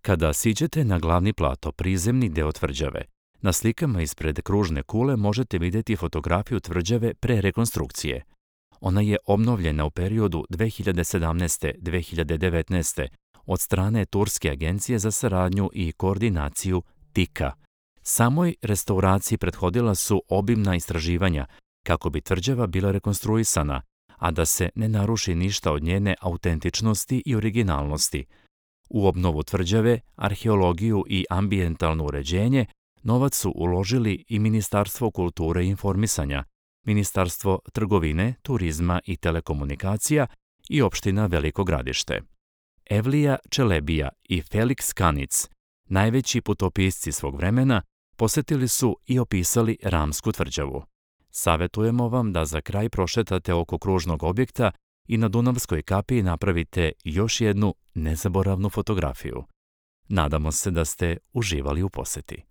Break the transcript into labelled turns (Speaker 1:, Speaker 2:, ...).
Speaker 1: Kada siđete na glavni plato, prizemni deo tvrđave, na slikama ispred kružne kule možete vidjeti fotografiju tvrđave pre rekonstrukcije. Ona je obnovljena u periodu 2017-2019. od strane Turske agencije za saradnju i koordinaciju TIKA. Samoj restauraciji prethodila su obimna istraživanja kako bi tvrđava bila rekonstruisana, a da se ne naruši ništa od njene autentičnosti i originalnosti. U obnovu tvrđave, arheologiju i ambijentalno uređenje novac su uložili i Ministarstvo kulture i informisanja, Ministarstvo trgovine, turizma i telekomunikacija i opština Veliko Gradište. Evlija Čelebija i Feliks Kanic, najveći putopisci svog vremena, posetili su i opisali Ramsku tvrđavu. Savetujemo vam da za kraj prošetate oko kružnog objekta i na Dunavskoj kapiji napravite još jednu nezaboravnu fotografiju. Nadamo se da ste uživali u poseti.